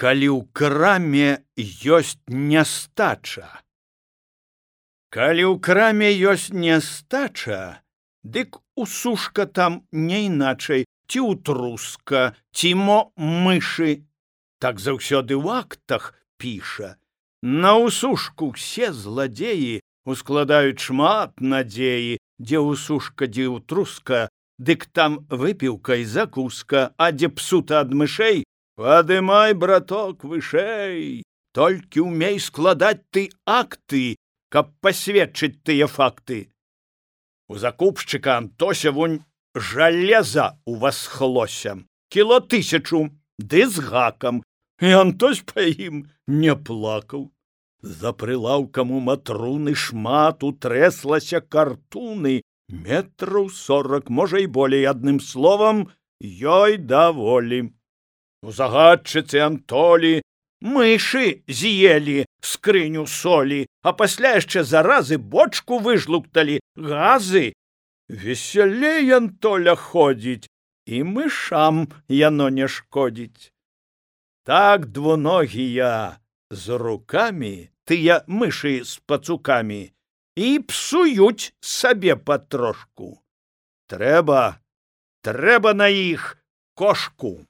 Калі ў краме ёсць нястача. Калі ў краме ёсць нястача, дык усушка там не іначай, ці ўтруска, ці мо мышы. Так заўсёды ў актах піша. На усушку все зладзеі ускладаюць шмат надзеі, дзе усушка, дзе ўтруска, дык там выпіўка і закуска, а дзе псута ад мышэй, падымай, браток, вышэй. Толькі ўмей складаць ты акты, каб пасведчыць тыя факты. У закупшчыка Антося вунь жалеза у вас хлося, кіло 1000, ды з гакам, і Антось па ім не плакаў. За прылаўкам у матруны шмат утрэслася картуны, метраў 40, можа і болей, адным словам, ёй даволі. У загадчыцы Антолі мышы з'елі скрыню солі, а пасля яшчэ заразы бочку выжлукталі, газы. Весялей Антоля ходзіць, і мышам яно не шкодзіць. Так двуногія з рукамі, тыя мышы з пацукамі, і псуюць сабе патрошку. Трэба на іх кошку.